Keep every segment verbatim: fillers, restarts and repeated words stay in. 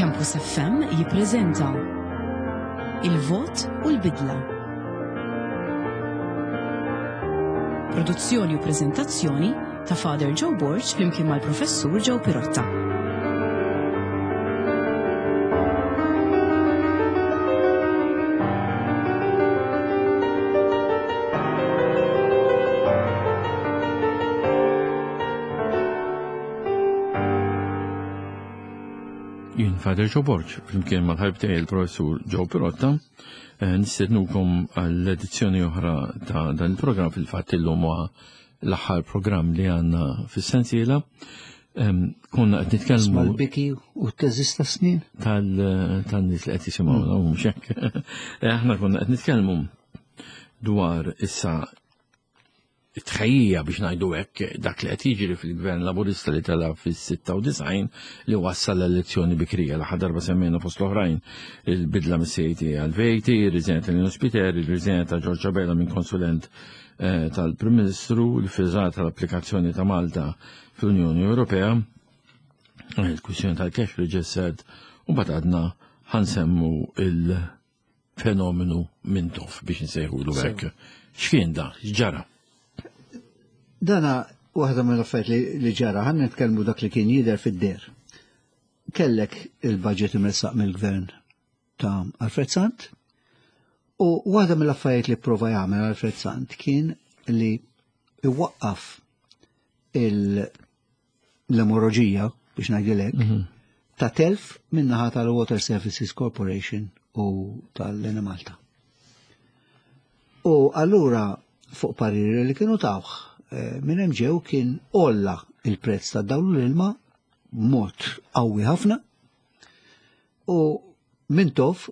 Campus F M jippreżenta Il-Vot u l-Bidla. Produzzjoni u preżentazzjoni ta' Father Joe Borg flimkien mal-Professur Joe Pirotta. Jien Father Joe Borg, flimkien mal-ħabib tiegħi il-Professur Joe Pirotta, eh, nistednukom għall-edizzjoni oħra ta' dan il-programm. Fil-fatt illum huwa l-aħħar programm li għandna fis-sensiela. Em, konna qed nitkellmu mal-biki u t-teżis ta' snin tal-, tan-nies li qed jisimgħuna, u mhux hekk. Eh, aħna konna qed nitkellmu dwar issa it-tħejjija biex ngħidu hekk dak li qed jiġri fil-Gvern Laburista li tela' fis-sitta u disgħin li wassal l-elezzjoni bikrija. L-aħħar darba semmejna fost l-oħrajn il-bidla mis-C A T għal V A T, ir-riżenja ta' Lino Spiteri, ir-riżenja ta' George Abela minn konsulent, eh, tal-Prim Ministru, l-friżat tal-applikazzjoni ta' Malta fl-Unjoni Ewropea, il-kwistjoni tal-cash registered, u mbagħad għadna ħansemmu il-fenomenu Mintoff biex nsejħulu hekk. X'kien da? X'ġara? Dana waħda mill-affarijiet li, li ġara, ħan nitkellmu dak li kien jidher fid-der. Kellek il-budget imressaq mill-gvern ta' Alfred Sant, u waħda mill-affarijiet li prova jagħmel Alfred Sant kien li iwaqqaf il-, l-emoroġija, biex ngħidilek, Mhm. ta' telf min-naħa tal-Water Services Corporation u tal-Enemalta. U allura fuq pariri li kienu tawh, eh, minn hemm ġew kien olla il-prezz ta' dawl l-ilma b'mod qawwi ħafna, u Mintoff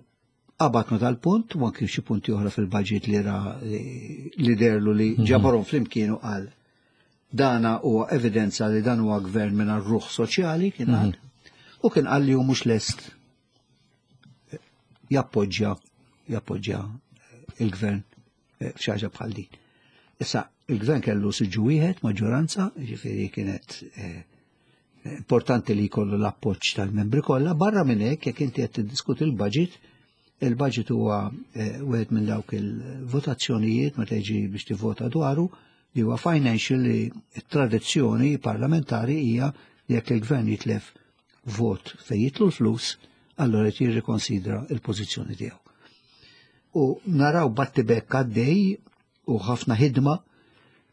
qabad ma tal-punt, u anke xi punti oħra fil-budget li ra li derlu li Mhm. ġabarhom flimkien u qal dana huwa evidenza li dan huwa gvern mingħajr ruħ soċjali, kien qal. Mhm. U kien qal li hu mhux lest jappoġġja, jappoġġja il-gvern f'xi ħaġa bħal din. Issa, il-gvern kellu siġġu wieħed, maġġoranza, ġifieri kienet, eh, importanti li jkollu l-appoġġ tal-membri kollha. Barra minn hekk, jekk inti qed tiddiskuti il-budget, il-budget huwa, eh, wieħed minn dawk il-votazzjonijiet meta jiġi biex tivvota dwaru, li huwa financial, li t-tradizzjoni parlamentari hija li jekk il-gvern jitlef vot fejn jitlu l-flus, allura qed jirrikonsidra l-pożizzjoni tiegħu. U naraw battibekk għaddej u ħafna ħidma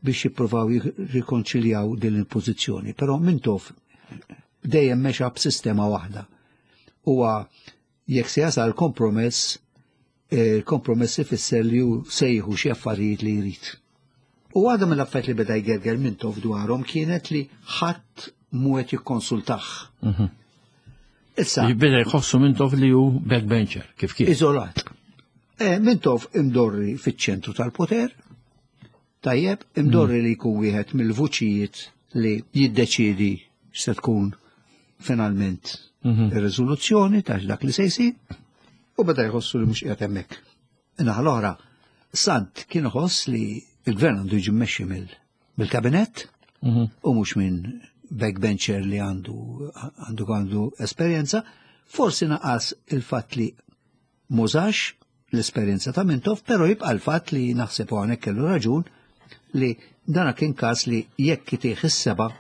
biex jippruvaw jirrikonċiljaw din il-pożizzjoni. Però Mintoff dejjem mexa b'sistema waħda. Huwa jekk se jasal kompromess, il-kompromess ifisser li hu sejħu xi affarijiet li jrid. U għadha mill-affarijiet li beda jgerger Mintoff dwarhom kienet li ħadd mhu qed jikkonsultah. Mhm. Issa, Beda jħossu Mintoff li hu backbencher, kif kien? Iżolat. Eh, Mintoff imdorri fiċ-ċentru tal-poter, tajjeb, imdorri li jkun wieħed mill-vuċijiet li jiddeċiedi x'se tkun finalment Mhm. ir-riżoluzzjoni ta' dak li se jsir, u beda jħossu li mhux qiegħed hemmhekk. Naħa l-oħra, Sant kien iħoss li l-gvern għandu jiġi mmexxi mill-, mill-kabinett Mhm. u mhux minn backbencher li għandu, għandu, għandu esperjenza. Forsi naqas il-fatt li mużax l-esperjenza ta' Mintoff, però jibqa' l-fatt li naħseb u hawnhekk kellu raġun li dana kien każ li jekk itih is-seba'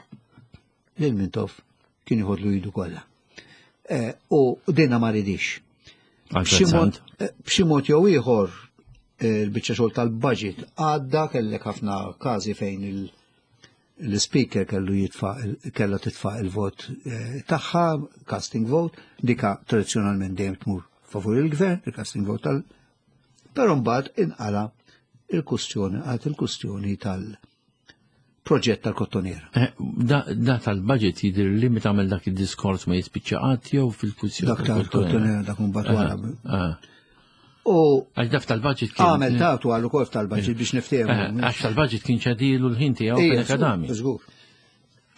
lil Mintoff kien jħodlu jidu kollha. Eh, u dinna ma ridix. Għal B'xi mod, Sant. eh, b'xi mod jew ieħor, eh, il-biċċa xogħol tal-budget għadda, kellek ħafna każi fejn il-, l-speaker kellu jitfa' kellha titfa' il-vot, eh, tagħha, casting vote, dika tradizzjonalment dejjem tmur favur il-gvern, il-casting vote tal-, però mbagħad inqala il-kustjoni, għad il-kustjoni tal-proġett tal-Kottonera. Eh, da, da tal-budget jidher li meta għamel dak id-diskors ma jispiċċa qatt jew fil-kwistjoni Dak tal-Kottonera, dak mbagħad wara. Eh, eh. U Għax daf tal-budget kien Għamel tagħtu għal ukoll tal-budget biex niftehmu. Eh, għax tal-budget kien ċadilu l-ħin tiegħu Ija, fil akadami. żgur, żgur.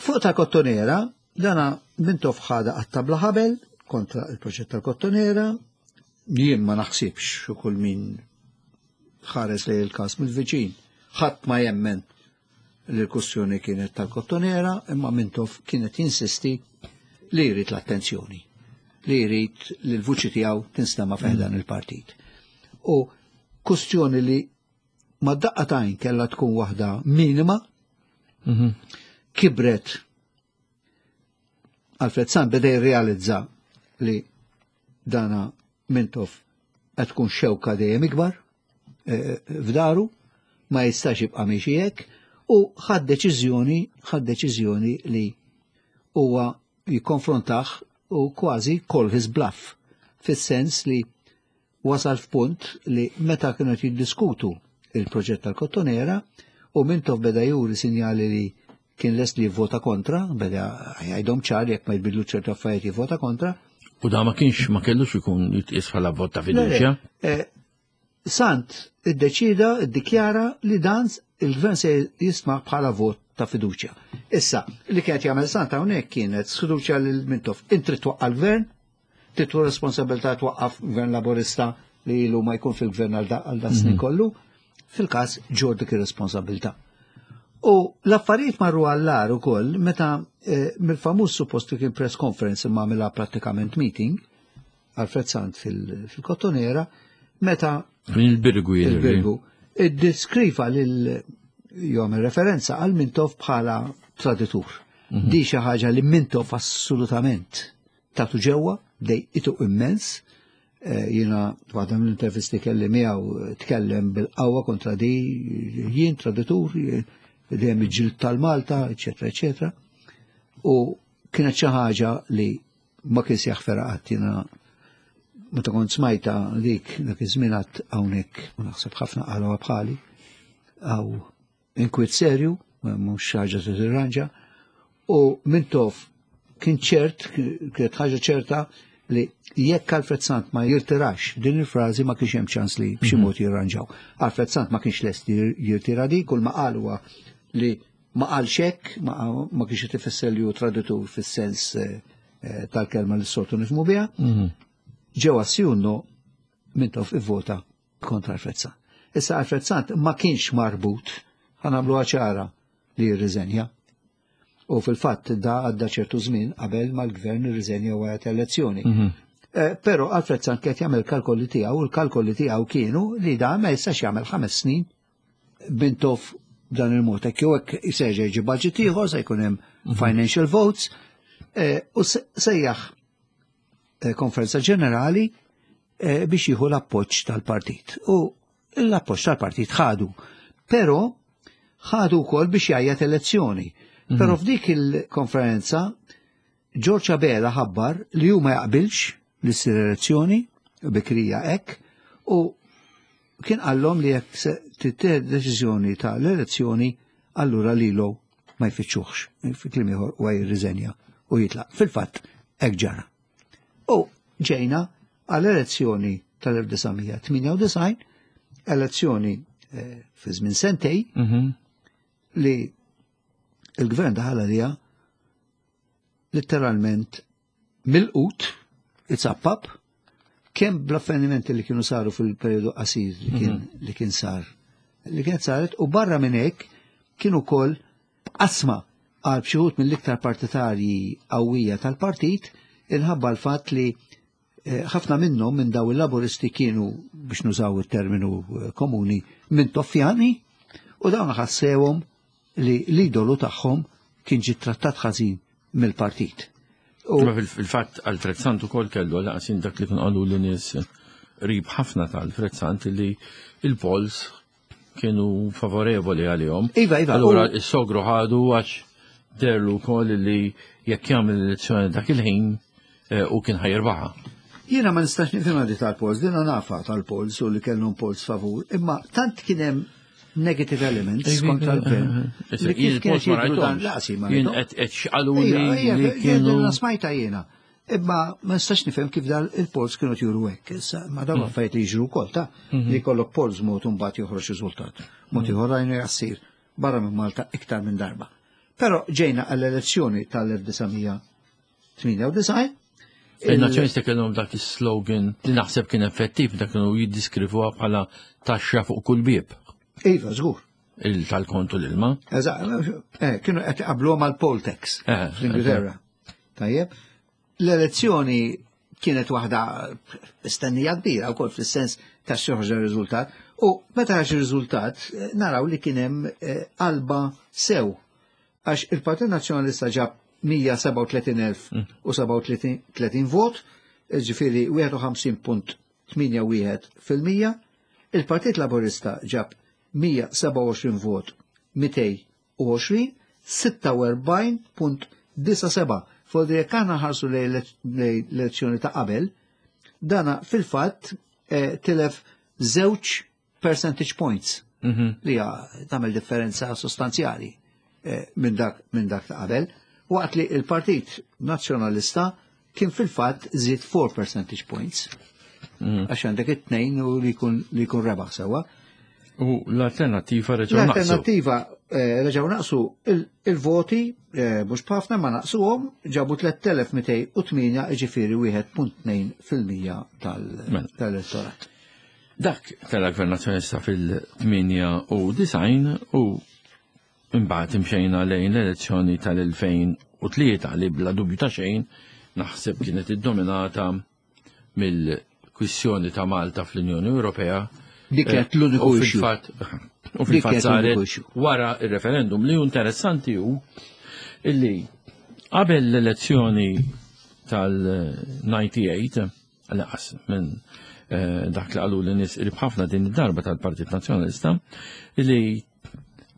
Fuq tal-Kottonera, dana Mintoff ħada għat-tabla ħabel kontra il-proġett tal-Kottonera, jien ma naħsibx u kull min ħares lejn il-każ mill-viċin, ħadd ma jemmen li l-kwestjoni kienet tal-Kottonera, imma Mintoff kienet jinsisti li jrid l-attenzjoni. li jrid li l-vuċi tiegħu tinstema' f'dan il-partit. U kustjoni li ma daqqa t'għajn kellha tkun waħda minima, kibret. Alfred Sant beda jirrealizza li dana Mintoff qed tkun xewka dejjem ikbar eh, f'daru, ma jistax jibqa' miexi hekk, u ħad deċiżjoni, ħad deċiżjoni li huwa jikkonfrontah u kważi call his bluff, fis-sens li wasal f'punt li meta kienu qed jiddiskutu il-proġett tal-Kottonera u Mintoff beda juri sinjali li kien lest li jivvota kontra, beda jgħidhom ċar jekk ma jbidlu ċertu affarijiet jivvota kontra. U da ma kienx, ma kellux ikun jitqies bħala vot ta' Le, le, fiduċja. eh, Sant iddeċida, iddikjara li dan il-gvern se jisma' bħala vot ta' fiduċja. Issa, li kienet jagħmel Sant hawnhekk kienet sfiduċja lil Mintoff. Inti twaqqa' l-gvern, tittu responsabilità twaqqaf gvern Laburista li ilu ma jkun fil-gvern għal da- għal da snin kollu, fil-każ ġor dik ir-responsabilità. U l-affarijiet marru għall-agħar ukoll meta eh, mill-famuż suppost li kien press conference imma għamilha prattikament meeting Alfred Sant fil- fil-Kottonera, meta Min il-Birgu jidher. il-Birgu iddeskriva lil jom referenza għal Mintoff bħala traditur. Di xi ħaġa li Mintoff assolutament tatu ġewwa, dejqitu immens. Eh, Jiena waħda mill-intervisti kelli miegħu eh, tkellem bil-qawwa kontra di jien traditur, jien dejjem iġġieldt tal-Malta, eċetera, eċetera. U kienet xi ħaġa li ma kienx jaħferha qatt. Jiena meta kont smajta dik dak iż-żmien għad hawnhekk u naħseb ħafna qaluha bħali għaw inkwiet serju, mhux ħaġa se tirranġa, u Mintoff kien ċert, kienet ħaġa ċerta li jekk Alfred Sant ma jirtirax din il-frażi ma kienx hemm ċans li b'xi mod jirranġaw. Alfred Sant ma kienx lest jir- jirtira di, kull ma qal huwa li ma qalx hekk, ma, ma kienx qed ifisser li hu traditur fis-sens eh, eh, tal-kelma li s-soltu nifhmu biha. Ġewwa Sjunno Mintoff ivvota kontra Alfred Sant. Issa Alfred Sant ma kienx marbut, ħa nagħmlu ċara, li jirriżenja. U fil-fatt da għadda ċertu żmien qabel ma l-gvern irriżenja wara elezzjoni. Eh, Però Alfred Sant kien jagħmel kalkoli tiegħu u l-kalkoli tiegħu kienu li da ma jistax jagħmel ħames snin Mintoff dan il-mod. Hekk jew hekk iseġa jiġi budget ieħor se jkun hemm financial votes eh, u se- sejjaħ eh, konferenza ġenerali eh, biex jieħu l-appoġġ tal-partit. U l-appoġġ tal-partit ħadu. Però ħadu wkoll biex jgħajjat elezzjoni. Però f'dik il-konferenza George Abela ħabbar li hu ma jaqbilx li ssir elezzjoni bikrija hekk u kien qallhom li jekk se tittieħed deċiżjoni ta' l-elezzjoni allura lilu ma jfittxuhx. Fi kliem ieħor huwa jirriżenja u jitlaq. Fil-fatt hekk ġara. U ġejna għall-elezzjoni tal-elf disa' mija tmienja u disgħin, elezzjoni eh, fi żmien sentej li il-gvern daħal għalija letteralment milqut, itzappap, kemm bl-avvenimenti li kienu saru fil-periodu qasir li kien, li kien sar, li kienet saret, u barra minn hekk kienu wkoll qasma għal xi wħud mill-iktar partitarji qawwija tal-partit inħabba l-fatt li eh, ħafna minnhom minn daw il-Laburisti kienu, biex nużaw il-terminu eh, komuni, Mintoffjani, u dawn ħassewhom li l-idolu tagħhom kien ġi trattat ħażin mill-partit. U Ma fil-fatt Alfred Sant ukoll kellu laqsin dak li kien qalu li nies qrib ħafna ta' Alfred Sant li il-polls kienu favorevoli għalihom. Iva, iva, Allura u- is-sogru ħadu għax derlu wkoll li jekk jagħmel elezzjoni dak il-ħin eh, u kien ħa jirbaħha. Jiena ma nistax nifhimha di tal-polls, dina nafa tal-polls u li kellhom polls favur, imma tant kien hemm negative elements kontra l-gvern. Li kif kienet jidhru dan laqsi ma Jien rajthomx. qed qed xqalu Ija, li ija, li kienu Dina smajta jiena. Imma ma nistax nifhem kif dal il-polls kienu juru hekk. Issa ma dawn affarijiet li jiġru wkoll ta' li jkollok polls mod u mbagħad joħroġ riżultat. Mod ieħor rajnu jassir barra minn Malta iktar minn darba. Però ġejna għall-elezzjoni tal-elf disa' mija tmienja u disgħin. Il-Nazzjonisti kellhom dak is-slogan li naħseb kien effettiv, dak kienu jiddiskrivuha bħala taxxa fuq kull bieb Iva, żgur. il tal-kontu l-ilma. Eżatt, eh, kienu qed iqabbluha mal-poll tax Eh, fl-Ingilterra. Tajjeb. L-elezzjoni Kienet waħda stennija kbira wkoll fis-sens ta' xi riżultat. U meta ħareġ ir-riżultat eh, naraw li kien hemm eh, qalba sew. Għax il-Partit Nazzjonalista ġab mija sebgħa u tletin elf u sebgħa u tletin vot, ġifieri wieħed u ħamsin punt tmienja wieħed fil-mija, il-Partit Laburista ġab mija sebgħa u għoxrin vot mitejn u għoxrin, sitta u erbgħin punt disgħa seba'. Fodri jekk aħna nħarsu lejn l-elezzjoni ta' qabel, dana fil-fatt eh, tilef żewġ percentage points Mhm. li hija tagħmel differenza sostanzjali eh, minn dak minn dak ta' qabel, waqt li il-Partit Nazzjonalista kien fil-fatt żied four percentage points. Għax għandek it-tnejn u li jkun li jkun rebaħ sewwa. U l-Alternattiva reġgħu naqsu. L-Alternattiva eh, reġgħu naqsu il- il-voti eh, mhux b'ħafna ma naqsuhom, ġabu tliet elef mitejn u tmienja, ġifieri wieħed punt tnejn fil-mija tal- Mela. tal-elettorat. Dak tal-Gvern Nazzjonalista fil-tmienja u disgħin u imbagħad imxejna lejn l-elezzjoni tal-elfejn u tlieta li bla dubju ta' xejn naħseb kienet iddominata mill-kwissjoni ta' Malta fl-Unjoni Ewropea. Dik kienet l-uniku U issue. fil-fatt u Dik fil-fatt kienet saret l-uniku issue. wara il-referendum. Li hu interessanti hu illi qabel l-elezzjoni tal-disgħa u disgħin, laqas minn eh, dak li qalu li nies qrib ħafna din id-darba tal-Partit Nazzjonalista, illi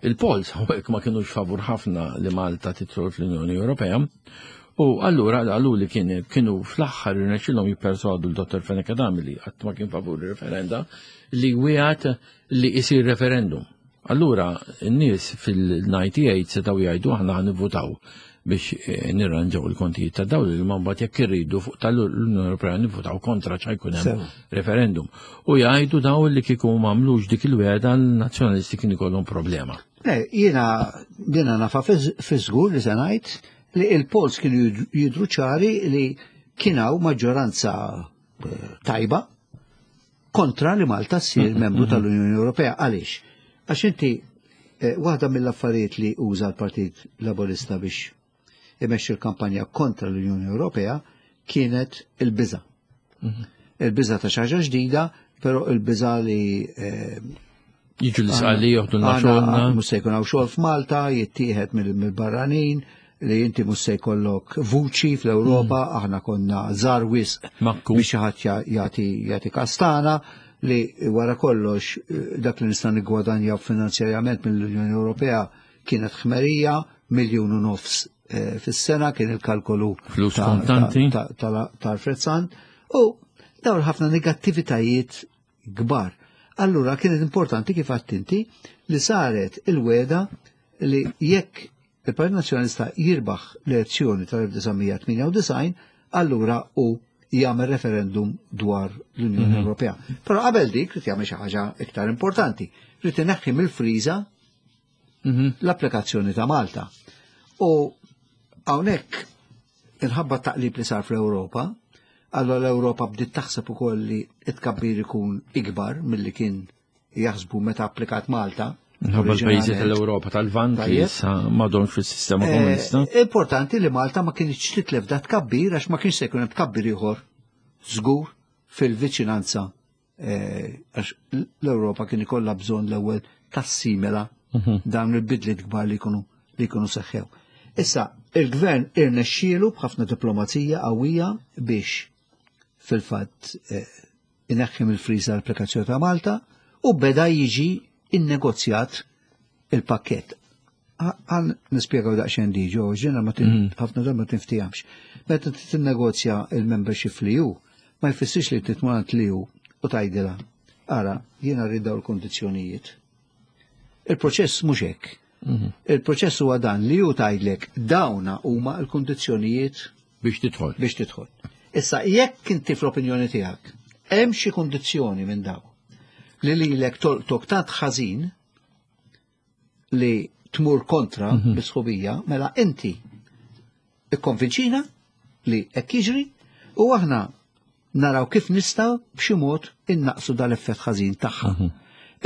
il-polls hawnhekk ma kienux favur ħafna li Malta tidħol fl-Unjoni Ewropea. U allura qalu li kien kienu fl-aħħar irnexxilhom jipperswadu l-Dottor Fenech Adami, li qatt ma kien favur il-referenda, li wiegħed li isir referendum. Allura n-nies fil-disgħa u disgħin setgħu jgħidu: "Aħna ħa nivvutaw biex eh, nirranġaw il-kontijiet ta' dawl, li mbagħad jekk irridu fuq tal-Unjoni Ewropea nivvutaw kontra, ċa jkun hemm Sew. referendum." U jgħidu daw li kieku m'għamlux dik il-wegħda, l-nazzjonalisti kien ikollhom problema. Le, jiena dina nafa fi żgur li se ngħid li il-polls kienu jid- jidru ċari li kien hawn maġġoranza eh, tajba kontra li Malta ssir membru tal-Unjoni Ewropea. Għaliex? Għax inti eh, waħda mill-affarijiet li uża l-Partit Laburista biex imexxi l-kampanja kontra l-Unjoni Ewropea kienet il-biża. Il-biża ta' xi ħaġa ġdida, però il-biża li eh, Jiġu l-isqalli joħdu Għana xogħolna. mhux se jkun hawn xogħol f'Malta, jittieħed mill- mill-barranin, li inti mhux se jkollok vuċi fl-Ewropa, aħna konna żgħar wisq Makku. biex xi ħadd ja- jagħti jagħti kastana, li wara kollox eh, dak li nista' niggwadanja finanzjarjament mill-Unjoni Ewropea kienet ħmerija, miljun u nofs eh, fis-sena kien il-kalkolu Flus ta- kontanti. ta- ta- tal-Alfred Sant u dawn ħafna negattivitajiet kbar. Allura kienet importanti, kif għedt inti, li saret il-wegħda li jekk il-Partit Nazzjonalista jirbaħ l-elezzjoni tal-elf disa' mija tmienja u disgħin, allura u jagħmel referendum dwar l-Unjoni Ewropea. Però qabel dik rid jagħmel xi ħaġa iktar importanti. Rid ineħħi mill-friża l-applikazzjoni ta' Malta. U hawnhekk inħabba taqlib li sar fl-Ewropa, allora l-Ewropa bdiet taħseb ukoll li it-tkabbir ikun ikbar milli kien jaħsbu meta applikat Malta. Minħabba l-pajjiżi oriġinalment. tal-Ewropa tal-Lvant li Tajjeb. issa m'għadhomx fis-sistema Eh, komunista. Importanti li Malta ma kienx titlef da tkabbir għax ma kienx se jkun hemm tkabbir ieħor żgur fil-viċinanza eh, għax l-Ewropa kien ikollha bżonn l-ewwel tassimila dawn il-bidliet kbar li jkunu li jkunu seħħew. Issa, il-gvern irnexxielu b'ħafna diplomazija qawwija biex fil-fatt eh, ineħħi mill-friża l-applikazzjoni ta' Malta u beda jiġi innegozjat il-pakket. Għan nispjegaw daqsxejn diġo, ġena ma tin- ħafna darba ma tinftijamx. Meta tinnegozja il-membership li ju, ma jfissirx li titmur li ju u tgħidilha: "Ara, jiena rrid dawn il-kondizzjonijiet." Il-proċess mhux hekk. Il-proċess huwa dan li ju tgħidlek dawna huma l-kondizzjonijiet Biex tidħol. Biex tidħol. Issa, jekk inti fl-opinjoni tiegħek hemm xi kondizzjoni minn daw li lilek tolqtok tant ħażin li tmur kontra l-sħubija, mela inti ikkonvinċina li hekk jiġri u aħna naraw kif nistgħu b'xi mod innaqsu dal-effett ħażin tagħha.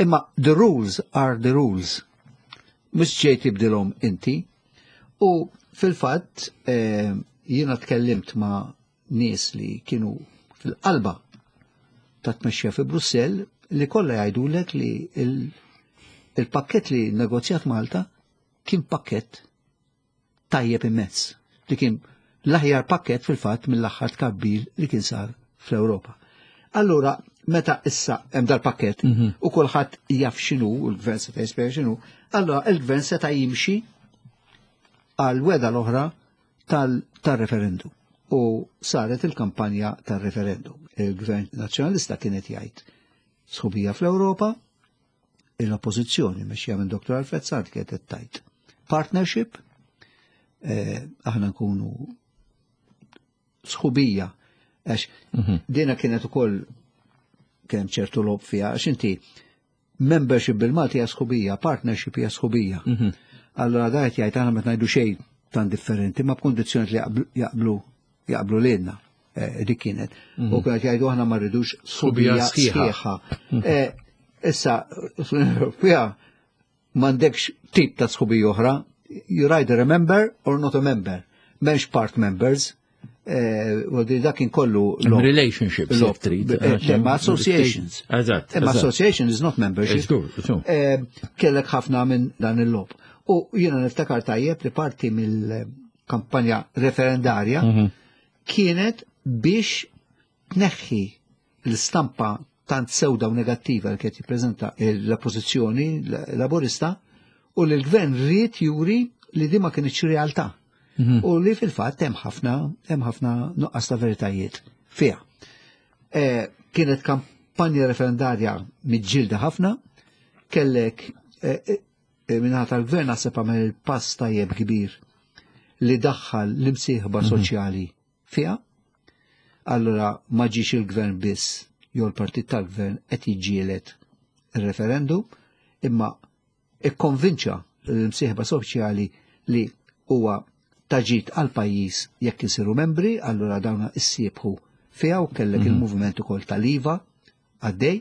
Imma the rules are the rules. Mhux ġej tibdilhom inti. U fil-fatt eh, jiena tkellimt ma' nies li kienu fil-qalba ta' tmexxija fi Brussell li kollha jgħidulek li il-pakket li negozjat Malta kien pakket tajjeb immens, li kien l-aħjar pakket fil-fatt mill-aħħar tkabbir li kien sar fl-Ewropa. Allura, meta issa hemm dal-pakket mhm. u kulħadd jaf x'inhu, u l-gvern seta' jispjega x'inhu, allura il-gvern seta' jimxi għal wegħda l-oħra tal-referendum. U saret il-kampanja tal-referendum. Il-gvern nazzjonalista kienet jgħid sħubija fl-Ewropa, l-oppożizzjoni mexxija minn Dottor Alfred Sant kienet tgħid partnership, eh, aħna nkunu sħubija, għax mhm. dina kienet ukoll kien ċertu logħob fiha, għax inti membership bil-Malti hija sħubija, partnership hija sħubija. Mhm. Allora da qed jgħid aħna ma ngħidu xejn tan differenti, ma b'kondizzjoni li jaqblu jaqblu lilna. Eh, dik kienet. Mhm. U kienet jgħidu aħna ma rridux sħubija sħiħa. Eh, issa, fl-Unjoni Ewropea m'għandekx tip ta' sħubija oħra, you're either a member or not a member. M'hemmx part members. Eh, u dak kien kollu relationships trid. Ma associations. Eżatt. Ma association is not membership. Kellek ħafna minn dan il-logħob. U jiena niftakar tajjeb li parti mill-kampanja referendarja mhm. kienet biex tneħħi l-istampa tant sewda u negattiva li kienet jippreżenta l-oppożizzjoni laburista u li l-gvern ried juri li di ma kienx realtà. Mhm. U li fil-fatt hemm ħafna hemm ħafna nuqqas ta' veritajiet fiha. E, kienet kampanja referendarja miġġielda ħafna, kellek e, e, min-naħa tal-gvern naħseb għamel il-pass tajjeb kbir li daħħal l-imsieħba mhm. soċjali fiha. Allora ma ġiex il-gvern biss jew l-partit tal-gvern qed jiġġieled il-referendum, imma ikkonvinċa l-imsieħba soċjali li huwa ta' ġid għal pajjiż jekk isiru membri, allura dawna issiebħu fiha u kellek mm -hmm. il-moviment ukoll tal-IVA għaddej.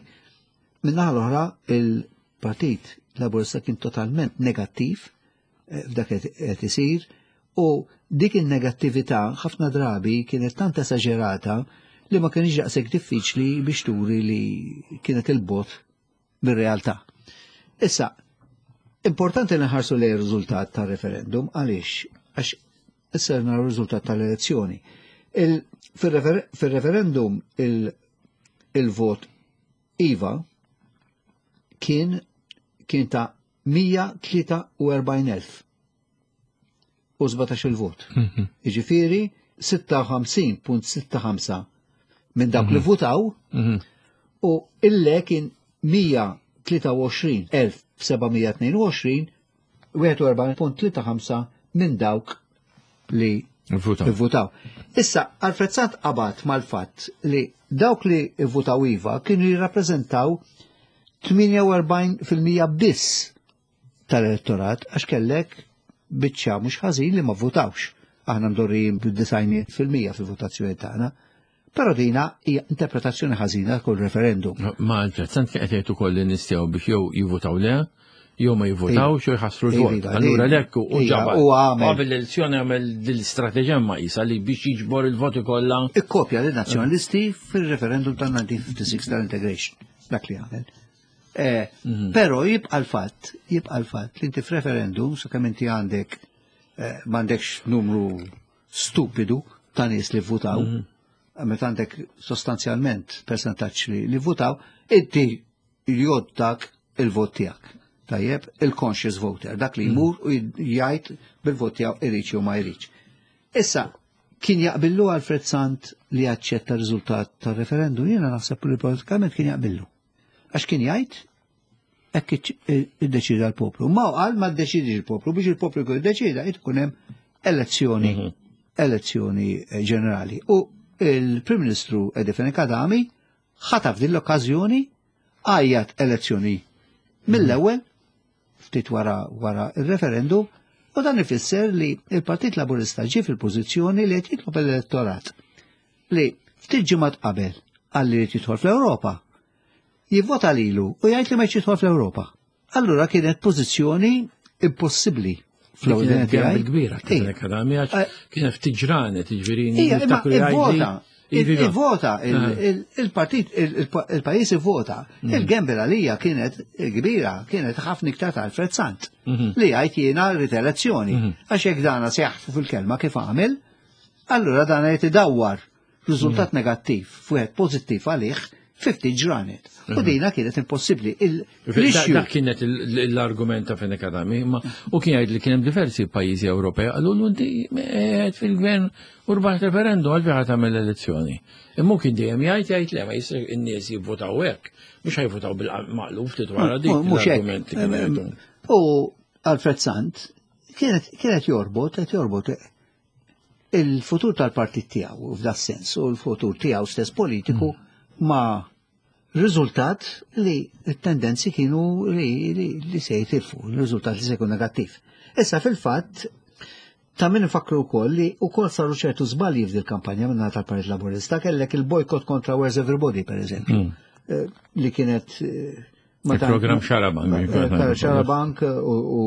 Min-naħa l-oħra il-Partit Laburista kien totalment negattiv eh, f'dak qed isir u dik il-negattività ħafna drabi kienet tant esaġerata li ma kienx daqshekk diffiċli biex turi li kienet il-bogħod mir-realtà. Issa, importanti li nħarsu lejn ir-riżultat tar-referendum għaliex għax issa naraw r-riżultat tal-elezzjoni. Fil-referendum il-vot IVA kien kien ta' mija tlieta u erbgħin elf u sbatax il-vot. Mhm. Jiġifieri sitta u ħamsin punt sitta ħamsa minn dawk li mhm. votaw mhm. u il-le kien mija tlieta u għoxrin elf seba' mija tnejn u għoxrin, wieħed u erbgħin punt tlieta ħamsa minn dawk li votaw. Issa, Alfred Sant qabad mal-fatt li dawk li votaw IVA kienu jirrappreżentaw tmienja u erbgħin fil-mija biss tal-elettorat, għax kellek biċċa mhux ħażin li ma votawx. Aħna mdorrijin bid-disgħin fil-mija fil-votazzjoni tagħna. Però dina hija interpretazzjoni ħażina kull referendum. Ma Alfred Sant kien qed jgħid ukoll li nistgħu biex jew jivvotaw le, jew ma jivvotawx jew jħassru l-vot. Allura lek u ġabal. U għamel. Qabel l-elezzjoni għamel l-istrateġija ma jisa li biex jiġbor il-voti kollha. Ikkopja li nazzjonalisti fil-referendum tal-elf disa' mija u sitta u ħamsin tal-integration. Dak li għamel. Eh, mhm. Però jibqa' l-fatt, jibqa' l-fatt li inti f'referendum, sakemm inti għandek eh, m'għandekx numru stupidu ta' nies li votaw, mhm. meta għandek sostanzjalment percentaġġ li, li votaw, inti jgħoddak il-vot tiegħek. Tajjeb, il-conscious voter, dak li jmur u jgħid bil-vot tiegħu irid jew ma jridx. Issa, kien jaqbillu Alfred Sant li jaċċetta r-riżultat tar-referendum? Jiena naħseb li politikament kien jaqbillu. Għax kien jgħid hekk iddeċida l-poplu. Ma qal ma ddeċidix il-poplu, biex il-poplu jkun iddeċida jkun hemm elezzjoni mhm. elezzjoni ġenerali. U il-Prim Ministru Eddie Fenech Adami ħataf din l-okkażjoni, għajjat elezzjoni mill-ewwel ftit wara wara il-referendum, u dan ifisser li il-Partit Laburista ġie fil-pożizzjoni li qed jitlob l-elettorat li ftit ġimgħat qabel qal li jidħol fl-Ewropa jivvota lilu u jgħid li ma jidħol fl-Ewropa. Allura kienet pożizzjoni impossibbli fl-ewwel tiegħi. Kbira kienet Adami għax eh. kienet ftit ġranet, jiġifieri niftakru. Ivvota, il-partit, il-pajjiż ivvota. Mm. Il-gamble għalija kienet kbira, kienet ħafna iktar ta' Alfred Sant mhm. li għajt jiena rrid elezzjoni. Mhm. Għax jekk dana se jaħfu fil-kelma kif għamel, allura dana jrid idawwar riżultat mhm. negattiv f'wieħed pożittiv għalih ftit ġranet. U dina kienet impossibbli. Dak kienet l-argument ta' Fenech Adami, ma u kien jgħid li kien hemm diversi pajjiżi Ewropej qalu inti qed fil-gvern u rbaħt referendum għal ħa tagħmel elezzjoni. Imma kien dejjem jgħid jgħid le ma jista' n-nies jivvotaw hekk, mhux ħajvotaw bil-maqlub ftit wara dik l-argument kien. U Alfred Sant kienet jorbot, qed jorbot il-futur tal-partit tiegħu f'da sens u l-futur tiegħu stess politiku ma' riżultat li t-tendenzi kienu li, li, li se jitilfu, il-riżultat li se jkun negattiv. Issa fil-fatt, ta' min nfakru wkoll li wkoll saru ċertu żbalji f'dil kampanja minn tal-Partit Laburista, kellek il-bojkott kontra Where's Everybody, per eżempju, mm. li kienet eh, Il-program Xarabank. Eh, Xarabank u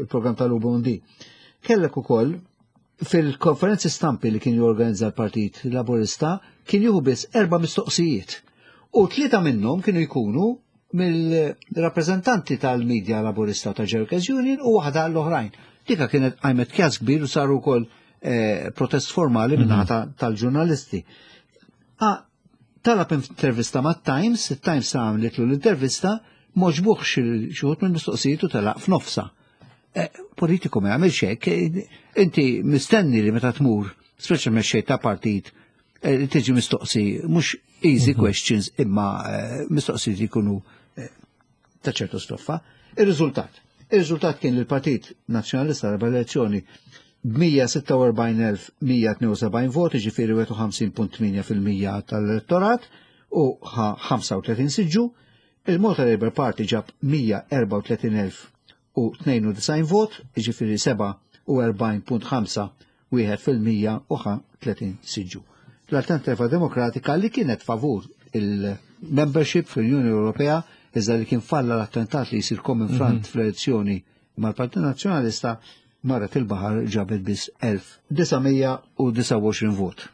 il-program tal-U B D. Kellek ukoll fil-konferenzi stampi li kien jorganizza l-Partit Laburista kien jieħu biss erba' mistoqsijiet. U tlieta minnhom kienu jkunu mill-rappreżentanti tal-medja Laburista ta' Workers Union u waħda l-oħrajn. Dika kienet għajmet kjas kbir u saru wkoll eh, protest formali mm -hmm. tal-ġurnalisti. Ah, talab intervista ma' Times, il-Times għamlitlu l-intervista, m'għoġbuhx xi wħud minn mistoqsijiet u telaq f'nofsa. Eh, politiku ma jagħmilx hekk, eh, inti mistenni li meta tmur, speċa mexxej ta' partit, eh, li tiġi mistoqsi mhux easy mhm. questions imma mistoqsijiet jkunu ta' ċertu stoffa. Ir-riżultat. Ir-riżultat kien li l-Partit Nazzjonalista rebaħ elezzjoni b'mija sitta u erbgħin elf mija tnejn u sebgħin voti, ġifieri wieħed u ħamsin punt tmienja fil-mija tal-elettorat u ħa ħamsa u tletin siġġu. Il-Malta Labour Party ġab mija erbgħa u tletin elf u tnejn u disgħin vot, ġifieri sebgħa u erbgħin punt ħamsa wieħed fil-mija u ħa tletin siġġu. L-Alternativa Demokratika li kienet favur il-membership fl-Unjoni Ewropea, iżda li kien falla l-attentat li jisir Common Front mm -hmm. fl-elezzjoni mal-Partit Nazzjonalista, marret il-baħar, ġabet biss elf disa' mija u disgħa u għoxrin vot.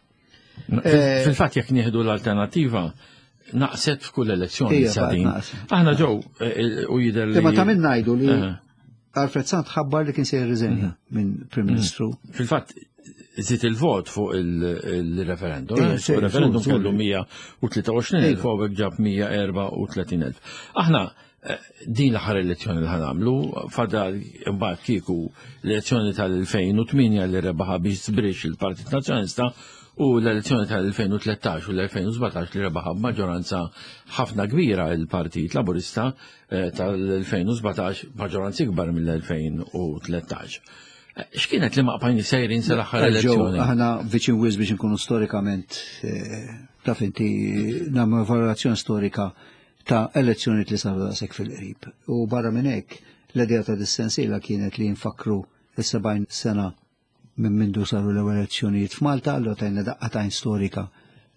Eh, fil-fatt jekk nieħdu l-Alternativa naqset f'kull elezzjoni sadin. Aħna ġew eh, u jidher li. Imma ta' min ngħidu li Alfred Sant ħabbar li kien se jirriżenja mhm. minn Prim mhm. Ministru. Fil-fatt żied il-vot fuq il-referendum. Il-referendum kellu mija u tlieta u għoxrin elf u ġab mija erbgħa u tletin elf. Aħna eh, din l-aħħar elezzjoni li ħa nagħmlu, fadal imbagħad kieku l-elezzjoni tal-elfejn u tmienja li rebaħa biex żbrix il-Partit Nazzjonalista u l-elezzjoni tal-elfejn u tlettax u l-elfejn u sbatax li rebaħa b'maġġoranza ħafna kbira il-Partit Laburista, eh, tal-elfejn u sbatax maġġoranza ikbar mill-elfejn u tlettax. Eh, x'kienet li ma bqajni sejrin sal-aħħar elezzjoni? Aħna viċin wisq biex nkunu storikament, eh, taf inti, nagħmlu evalwazzjoni storika ta' elezzjoni li saru daqshekk fil-qrib. U barra minn hekk, l-idea ta' dis-sensiela kienet li nfakru is-sebgħin sena minn mindu saru l-ewwel elezzjonijiet f'Malta, allura tajna daqqa t'għajn storika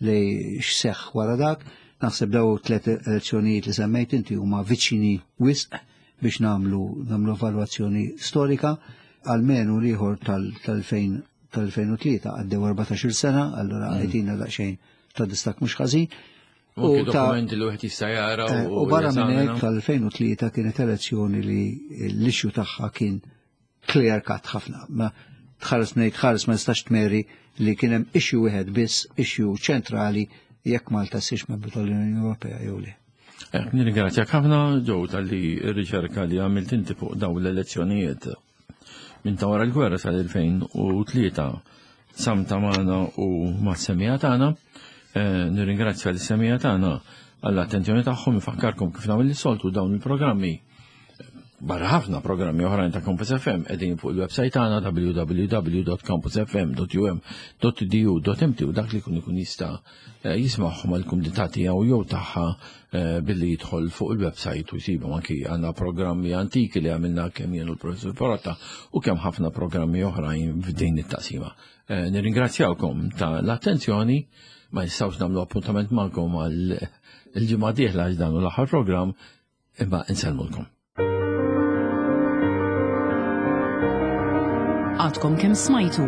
li x'seħħ wara dak. Naħseb daw tliet elezzjonijiet li semmejt inti huma viċini wisq biex nagħmlu nagħmlu evalwazzjoni storika, almenu l-ieħor tal-elfejn tal-elfejn u tlieta għaddew erbatax-il sena, allura mm. għajtina daqsxejn ta' distakk mhux ħażin. U dokumenti li wieħed jista' jara. Eh, u barra minn hekk tal-elfejn u tlieta kienet elezzjoni li l-issue tagħha kien clear cut ħafna. Ma tħares ngħid tħares ma nistax tmeri li kien hemm issue wieħed biss, issue ċentrali, jekk Malta ssirx membru tal-Unjoni Ewropea jew le. Eh, nirringrazzjak ħafna, Joe, tal-li r-riċerka li għamilt inti fuq daw l-elezzjonijiet minn ta' wara l-gwerra sal-elfejn u tlieta samta magħna u mas-semmiegħa tagħna. Eh, nirringrazzja l-semmiegħa tagħna għall-attenzjoni tagħhom, infakkarkom kif nagħmel is-soltu dawn il-programmi barra ħafna programmi oħrajn ta' Campus F M qegħdin fuq il-website tagħna w w w punt campusfm punt u m punt e d u punt m t u dak li kun ikun jista' eh, jismagħhom għall-kumdità tiegħu jew tagħha eh, billi jidħol fuq il-website u jsibhom. Anki għandna programmi antiki li għamilna kemm jien u l-Professur Porotta u kemm ħafna programmi oħrajn f'din it-taqsima. Eh, nirringrazzjawkom ta' l-attenzjoni, ma nistgħux nagħmlu appuntament magħkom għal il-ġimgħa dieħla għax dan hu l-aħħar programm, imma insellmulkom. Għadkom kemm smajtu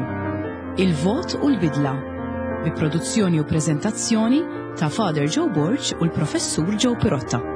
Il-Vot u l-Bidla bi produzzjoni u preżentazzjoni ta' Father Joe Borg u l-Professur Joe Pirotta.